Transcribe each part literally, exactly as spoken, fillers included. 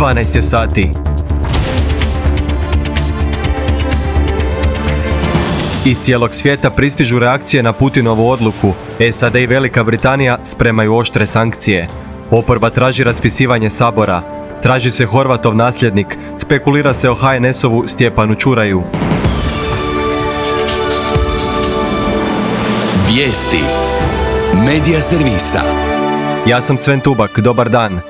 dvanaest je sati. Iz cijelog svijeta pristižu reakcije na Putinovu odluku. S A D i Velika Britanija spremaju oštre sankcije. Oporba traži raspisivanje sabora. Traži se Horvatov nasljednik. Spekulira se o H N S-ovu Stjepanu Čuraju. Vijesti Medija servisa. Ja sam Sven Tubak, dobar dan.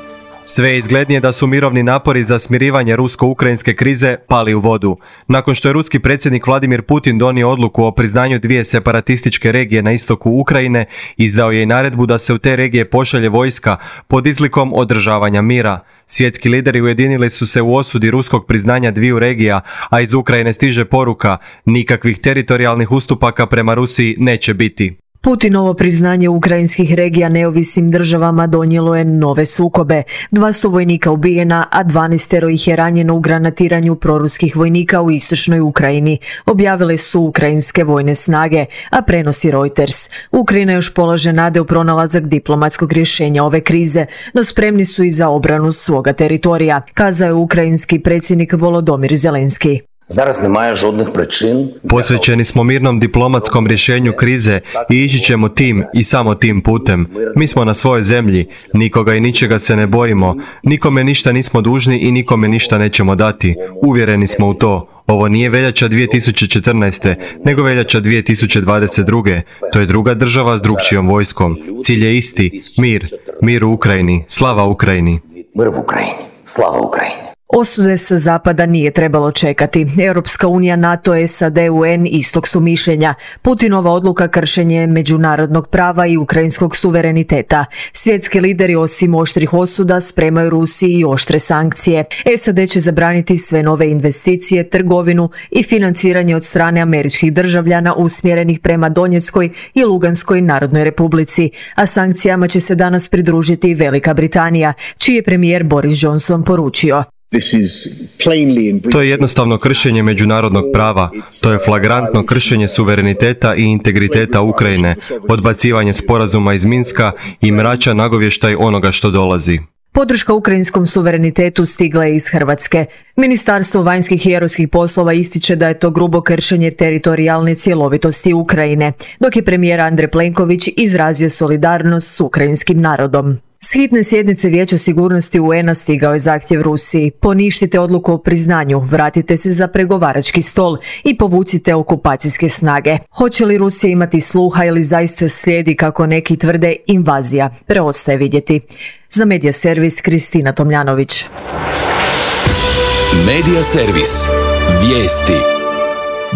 Sve je izglednije da su mirovni napori za smirivanje rusko-ukrajinske krize pali u vodu. Nakon što je ruski predsjednik Vladimir Putin donio odluku o priznanju dvije separatističke regije na istoku Ukrajine, izdao je i naredbu da se u te regije pošalje vojska pod izlikom održavanja mira. Svjetski lideri ujedinili su se u osudi ruskog priznanja dviju regija, a iz Ukrajine stiže poruka: nikakvih teritorijalnih ustupaka prema Rusiji neće biti. Putinovo priznanje ukrajinskih regija neovisnim državama donijelo je nove sukobe. Dva su vojnika ubijena, a dvanaestero ih je ranjeno u granatiranju proruskih vojnika u istočnoj Ukrajini, objavile su ukrajinske vojne snage, a prenosi Reuters. Ukrajina još polaže nade u pronalazak diplomatskog rješenja ove krize, no spremni su i za obranu svoga teritorija, kazao je ukrajinski predsjednik Volodymyr Zelenski. Posvećeni smo mirnom diplomatskom rješenju krize i ići ćemo tim i samo tim putem. Mi smo na svojoj zemlji, nikoga i ničega se ne bojimo, nikome ništa nismo dužni i nikome ništa nećemo dati. Uvjereni smo u to. Ovo nije veljača dvije tisuće četrnaeste. nego veljača dvije tisuće dvadeset druge. To je druga država s drukčijom vojskom. Cilj je isti, mir. Mir u Ukrajini. Slava Ukrajini. Mir u Ukrajini. Slava Ukrajini. Osude sa zapada nije trebalo čekati. Europska unija, NATO, S A D, U N istog su mišljenja. Putinova odluka kršenje međunarodnog prava i ukrajinskog suvereniteta. Svjetski lideri osim oštrih osuda spremaju Rusiji i oštre sankcije. S A D će zabraniti sve nove investicije, trgovinu i financiranje od strane američkih državljana usmjerenih prema Donjeckoj i Luganskoj Narodnoj Republici, a sankcijama će se danas pridružiti i Velika Britanija, čiji je premijer Boris Johnson poručio: To je jednostavno kršenje međunarodnog prava, to je flagrantno kršenje suvereniteta i integriteta Ukrajine, odbacivanje sporazuma iz Minska i mračan nagovještaj onoga što dolazi. Podrška ukrajinskom suverenitetu stigla je iz Hrvatske. Ministarstvo vanjskih i europskih poslova ističe da je to grubo kršenje teritorijalne cjelovitosti Ukrajine, dok je premijer Andrej Plenković izrazio solidarnost s ukrajinskim narodom. S hitne sjednice Vijeća sigurnosti U N-a stigao je zahtjev Rusiji: poništite odluku o priznanju, vratite se za pregovarački stol i povucite okupacijske snage. Hoće li Rusija imati sluha ili zaista slijedi, kako neki tvrde, invazija? Preostaje vidjeti. Za Medija servis Kristina Tomljanović. Medija servis. Vijesti.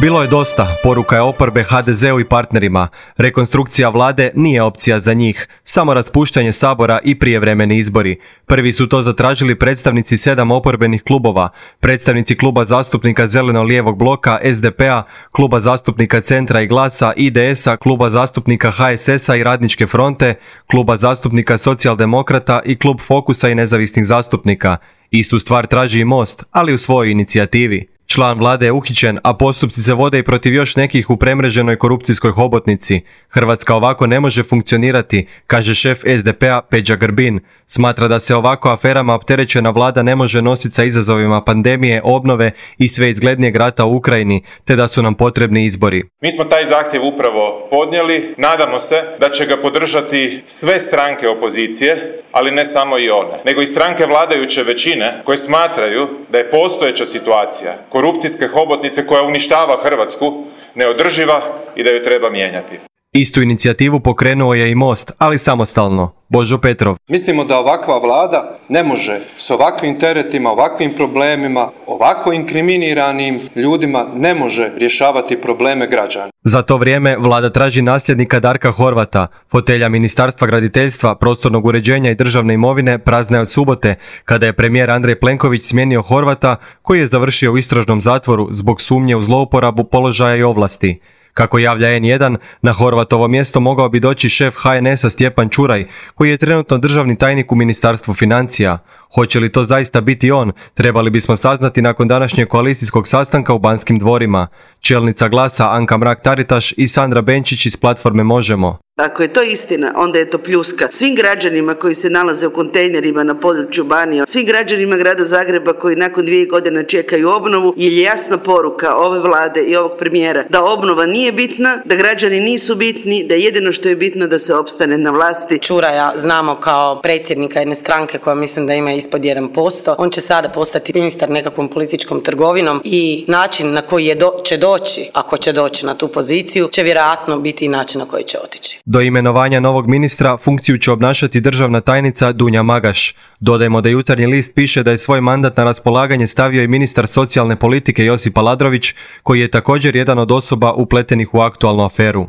Bilo je dosta, poruka je oporbe H D Z-u i partnerima. Rekonstrukcija vlade nije opcija za njih, samo raspuštanje sabora i prijevremeni izbori. Prvi su to zatražili predstavnici sedam oporbenih klubova, predstavnici kluba zastupnika Zeleno-lijevog bloka S D P-a, kluba zastupnika Centra i Glasa, I D S-a, kluba zastupnika H S S-a i Radničke fronte, kluba zastupnika Socijaldemokrata i klub Fokusa i nezavisnih zastupnika. Istu stvar traži i Most, ali u svojoj inicijativi. Član vlade je uhićen, a postupci se vode i protiv još nekih u premreženoj korupcijskoj hobotnici. Hrvatska ovako ne može funkcionirati, kaže šef S D P-a Peđa Grbin. Smatra da se ovako aferama opterećena vlada ne može nositi sa izazovima pandemije, obnove i sve izglednijeg rata u Ukrajini, te da su nam potrebni izbori. Mi smo taj zahtjev upravo podnijeli, nadamo se da će ga podržati sve stranke opozicije, ali ne samo i one, nego i stranke vladajuće većine koje smatraju da je postojeća situacija korupcijske hobotnice koja uništava Hrvatsku neodrživa i da ju treba mijenjati. Istu inicijativu pokrenuo je i Most, ali samostalno. Božo Petrov. Mislimo da ovakva vlada ne može s ovakvim teretima, ovakvim problemima, ovako inkriminiranim ljudima ne može rješavati probleme građana. Za to vrijeme vlada traži nasljednika Darka Horvata. Fotelja Ministarstva graditeljstva, prostornog uređenja i državne imovine prazna je od subote, kada je premijer Andrej Plenković smijenio Horvata, koji je završio u istražnom zatvoru zbog sumnje u zlouporabu položaja i ovlasti. Kako javlja N jedan, na Horvatovo mjesto mogao bi doći šef H N S-a Stjepan Čuraj, koji je trenutno državni tajnik u Ministarstvu financija. Hoće li to zaista biti on, trebali bismo saznati nakon današnjeg koalicijskog sastanka u Banskim dvorima. Čelnica Glasa Anka Mrak-Taritaš i Sandra Benčić iz platforme Možemo. Ako je to istina, onda je to pljuska svim građanima koji se nalaze u kontejnerima na području Banije, svim građanima grada Zagreba koji nakon dvije godine čekaju obnovu, jer je jasna poruka ove vlade i ovog premijera da obnova nije bitna, da građani nisu bitni, da jedino što je bitno da se opstane na vlasti. Čuraja znamo kao predsjednika jedne stranke koja mislim da ima ispod jedan posto. On će sada postati ministar nekakvom političkom trgovinom i način na koji je do, će doći, ako će doći na tu poziciju, će vjerojatno biti i način na koji će otići. Do imenovanja novog ministra funkciju će obnašati državna tajnica Dunja Magaš. Dodajmo da Jutarnji list piše da je svoj mandat na raspolaganje stavio i ministar socijalne politike Josip Aladrović, koji je također jedan od osoba upletenih u aktualnu aferu.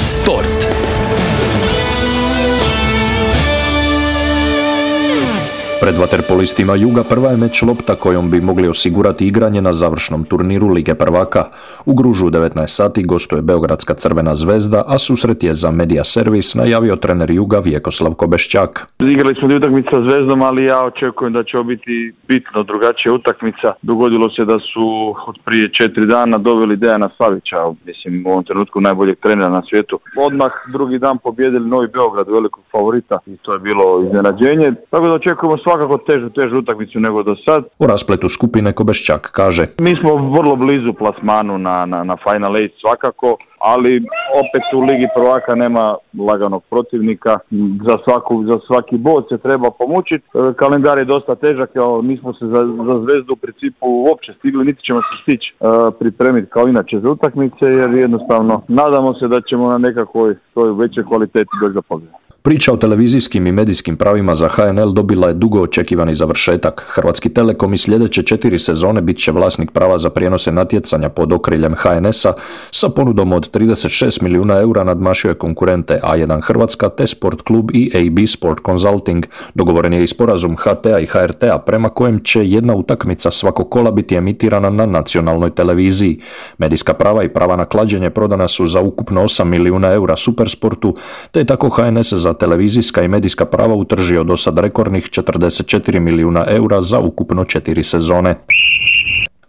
Sport. Pred vaterpolistima Juga prva je meč lopta kojom bi mogli osigurati igranje na završnom turniru Lige prvaka. U Gružu u devetnaest sati gostuje Beogradska Crvena zvezda, a susret je za Media Servis najavio trener Juga Vjekoslav Kobeščak. Igrali smo utakmicu sa Zvezdom, ali ja očekujem da će ovo biti bitno drugačija utakmica. Dogodilo se da su od prije četiri dana doveli Dejana Savića, mislim u ovom trenutku najboljeg trenera na svijetu. Odmah drugi dan pobjedili Novi Beograd, velikog favorita, i to je bilo iznenađenje. Tako da očekujemo svakako težu, težu utakmicu nego do sad. U raspletu skupine Kobeščak kaže: Mi smo vrlo blizu plasmanu na, na, na Final Eight svakako, ali opet u Ligi prvaka nema laganog protivnika. Za, svaku, za svaki bod se treba pomučiti. Kalendar je dosta težak, evo, nismo se za, za Zvezdu u principu uopće stigli, niti ćemo se stići uh, pripremiti kao inače za utakmice, jer jednostavno nadamo se da ćemo na nekakvoj toj većoj kvaliteti doći do pobjede. Priča o televizijskim i medijskim pravima za H N L dobila je dugo očekivani završetak. Hrvatski Telekom i sljedeće četiri sezone bit će vlasnik prava za prijenose natjecanja pod okriljem H N S-a. Sa ponudom od trideset šest milijuna eura nadmašio je konkurente A jedan Hrvatska, T-Sport klub i A B Sport Consulting. Dogovoren je i sporazum H T-a i H R T-a prema kojem će jedna utakmica svakog kola biti emitirana na nacionalnoj televiziji. Medijska prava i prava na klađenje prodana su za ukupno osam milijuna eura Supersportu, te je tako H N S za televizijska i medijska prava utržio do sad rekordnih četrdeset četiri milijuna eura za ukupno četiri sezone.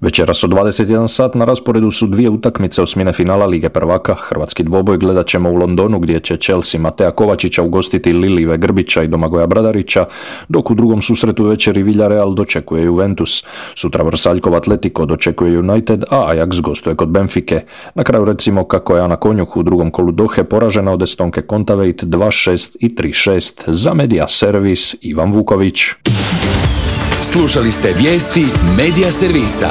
Večeras od dvadeset jedan sat na rasporedu su dvije utakmice osmine finala Lige prvaka. Hrvatski dvoboj gledat ćemo u Londonu gdje će Chelsea Matea Kovačića ugostiti Lilive Grbića i Domagoja Bradarića, dok u drugom susretu večeri Villarreal dočekuje Juventus. Sutra Vrsaljkov Atletico dočekuje United, a Ajax gostuje kod Benfike. Na kraju recimo kako je Ana Konjuh u drugom kolu Dohe poražena od Estonke Kontaveit dva šest i tri šest. Za Media Servis Ivan Vuković. Slušali ste vijesti Media Servisa.